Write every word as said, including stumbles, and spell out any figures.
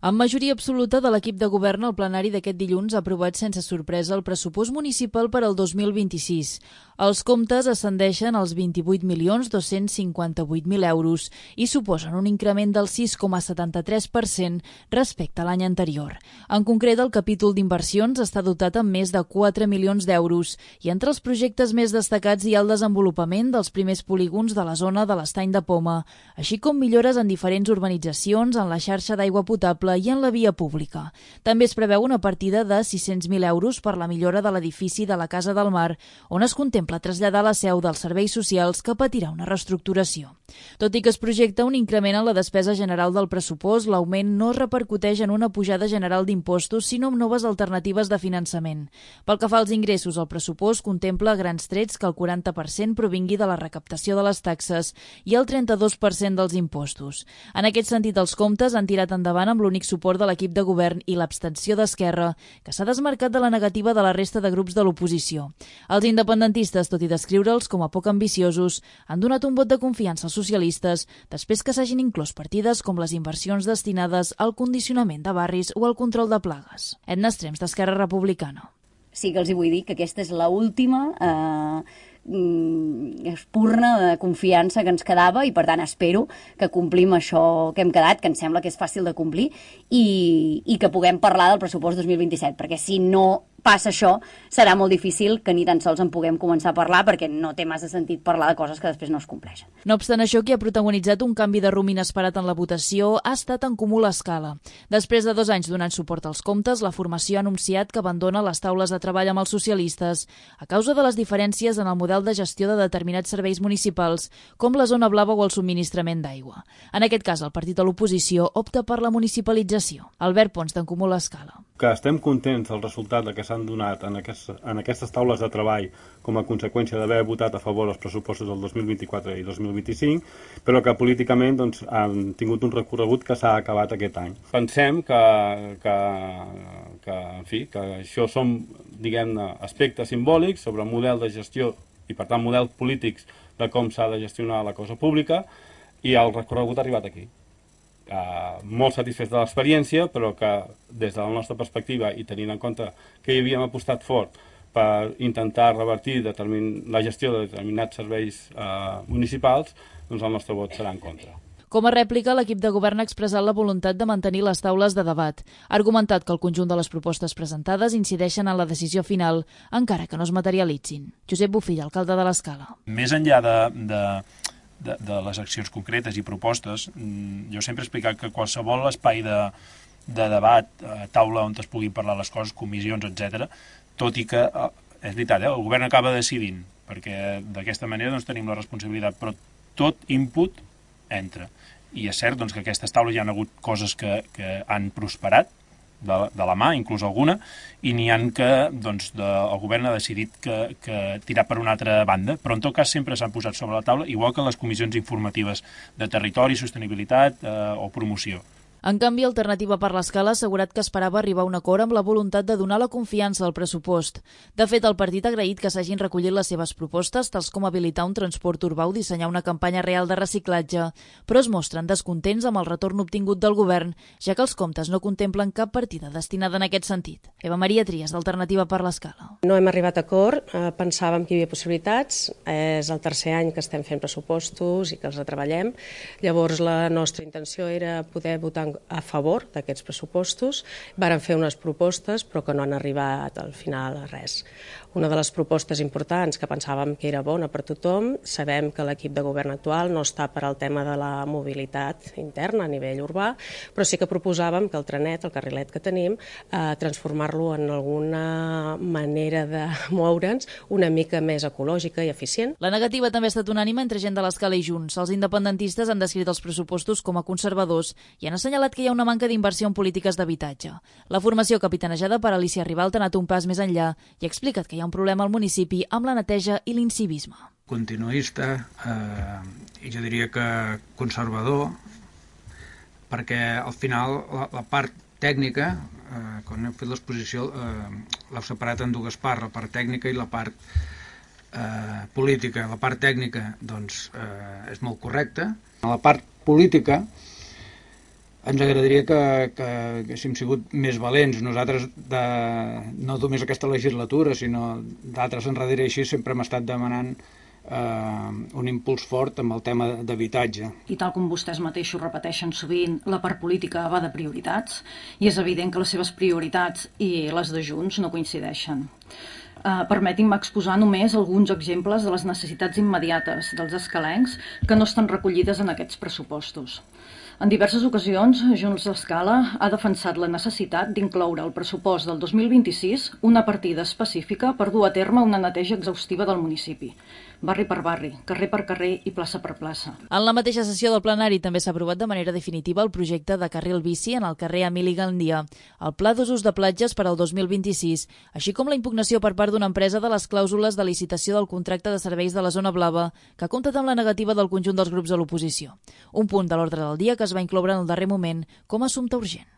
Amb majoria absoluta de l'equip de govern, el plenari d'aquest dilluns ha aprovat sense sorpresa el pressupost municipal per al dos mil vint-i-sis. Els comptes ascendeixen als vint-i-vuit milions dos-cents cinquanta-vuit mil euros i suposen un increment del sis coma setanta-tres per cent respecte a l'any anterior. En concret, el capítol d'inversions està dotat amb més de quatre milions d'euros i entre els projectes més destacats hi ha el desenvolupament dels primers polígons de la zona de l'Estany de Poma, així com millores en diferents urbanitzacions, en la xarxa d'aigua potable i en la via pública. També es preveu una partida de sis-cents mil euros per la millora de l'edifici de la Casa del Mar, on es contempla traslladar la seu dels serveis socials que patirà una reestructuració. Tot i que es projecta un increment en la despesa general del pressupost, l'augment no repercuteix en una pujada general d'impostos, sinó en noves alternatives de finançament. Pel que fa als ingressos, el pressupost contempla a grans trets que el quaranta per cent provingui de la recaptació de les taxes i el trenta-dos per cent dels impostos. En aquest sentit, els comptes han tirat endavant amb l'únic suport de l'equip de govern i l'abstenció d'Esquerra, que s'ha desmarcat de la negativa de la resta de grups de l'oposició. Els independentistes, tot i descriure'ls com a poc ambiciosos, han donat un vot de confiança als socialistes després que s'hagin inclòs partides com les inversions destinades al condicionament de barris o al control de plagues. Edna Estrems, d'Esquerra Republicana. Sí que els hi vull dir que aquesta és l'última eh, espurna de confiança que ens quedava i, per tant, espero que complim això que hem quedat, que em sembla que és fàcil de complir, i, i que puguem parlar del pressupost dos mil vint-i-set, perquè si no passa això, serà molt difícil que ni tan sols en puguem començar a parlar, perquè no té massa sentit parlar de coses que després no es compleixen. No obstant això, qui ha protagonitzat un canvi de rumb inesperat en la votació ha estat En Comú l'Escala. Després de dos anys donant suport als comptes, la formació ha anunciat que abandona les taules de treball amb els socialistes a causa de les diferències en el model de gestió de determinats serveis municipals, com la zona blava o el subministrament d'aigua. En aquest cas, el partit de l'oposició opta per la municipalització. Albert Pons, d'En Comú l'Escala. Que estem contents del resultat que s'han donat en, aquest, en aquestes taules de treball com a conseqüència d'haver votat a favor els pressupostos del dos mil vint-i-quatre i dos mil vint-i-cinc, però que políticament doncs, han tingut un recorregut que s'ha acabat aquest any. Pensem que, que, que, en fi, que això són, diguem-ne, aspectes simbòlics sobre el model de gestió i, per tant, models polítics de com s'ha de gestionar la cosa pública, i el recorregut ha arribat aquí. Uh, molt satisfets de l'experiència, però que des de la nostra perspectiva i tenint en compte que hi havíem apostat fort per intentar revertir determin... la gestió de determinats serveis uh, municipals, doncs el nostre vot serà en contra. Com a rèplica, l'equip de govern ha expressat la voluntat de mantenir les taules de debat. Ha argumentat que el conjunt de les propostes presentades incideixen en la decisió final, encara que no es materialitzin. Josep Bofill, alcalde de l'Escala. Més enllà de... de... De, de les accions concretes i propostes, jo sempre he explicat que qualsevol espai de, de debat, taula on es puguin parlar les coses, comissions, etcètera, tot i que, és veritat, eh, el govern acaba decidint, perquè d'aquesta manera doncs, tenim la responsabilitat, però tot input entra. I és cert doncs, que aquestes taules hi ha hagut coses que, que han prosperat, de, de la mà, inclús alguna, i n'hi ha que doncs, de, el govern ha decidit que, que tirar per una altra banda, però en tot cas sempre s'han posat sobre la taula, igual que les comissions informatives de territori, sostenibilitat eh, o promoció. En canvi, Alternativa per l'Escala ha assegurat que esperava arribar a un acord amb la voluntat de donar la confiança al pressupost. De fet, el partit ha agraït que s'hagin recollit les seves propostes, tals com habilitar un transport urbà o dissenyar una campanya real de reciclatge, però es mostren descontents amb el retorn obtingut del govern, ja que els comptes no contemplen cap partida destinada en aquest sentit. Eva Maria Trias, d'Alternativa per l'Escala. No hem arribat a acord, eh, pensàvem que hi havia possibilitats, és el tercer any que estem fent pressupostos i que els retreballem, llavors la nostra intenció era poder votar a favor d'aquests pressupostos. Varen fer unes propostes, però que no han arribat al final a res. Una de les propostes importants que pensàvem que era bona per tothom, sabem que l'equip de govern actual no està per al tema de la mobilitat interna a nivell urbà, però sí que proposàvem que el trenet, el carrilet que tenim, eh, transformar-lo en alguna manera de moure'ns una mica més ecològica i eficient. La negativa també ha estat unànime entre gent de l'Escala i Junts. Els independentistes han descrit els pressupostos com a conservadors i han assenyalat que hi ha una manca d'inversió en polítiques d'habitatge. La formació capitanejada per Alicia Ribalt ha anat un pas més enllà i ha explicat que hi ha un problema al municipi amb la neteja i l'incivisme. Continuista, eh, i jo diria que conservador, perquè al final la, la part tècnica, eh, quan hem fet l'exposició, eh, l'heu separat en dues parts, la part tècnica i la part eh, política. La part tècnica doncs, eh, és molt correcta. La part política ens agradaria que, que, que haguéssim sigut més valents. Nosaltres, de, no només aquesta legislatura, sinó d'altres enrere així, sempre hem estat demanant eh, un impuls fort amb el tema d'habitatge. I tal com vostès mateixos repeteixen sovint, la part política va de prioritats, i és evident que les seves prioritats i les de Junts no coincideixen. Uh, Permetin-me exposar només alguns exemples de les necessitats immediates dels escalencs que no estan recollides en aquests pressupostos. En diverses ocasions, Junts d'Escala ha defensat la necessitat d'incloure al pressupost del dos mil vint-i-sis una partida específica per dur a terme una neteja exhaustiva del municipi, barri per barri, carrer per carrer i plaça per plaça. En la mateixa sessió del plenari també s'ha aprovat de manera definitiva el projecte de carril bici en el carrer Emili Gandia, el pla d'usos de platges per al dos mil vint-i-sis, així com la impugnació per part d'una empresa de les clàusules de licitació del contracte de serveis de la zona blava, que ha comptat amb la negativa del conjunt dels grups de l'oposició. Un punt de l'ordre del dia que es va incloure en el darrer moment com a assumpte urgent.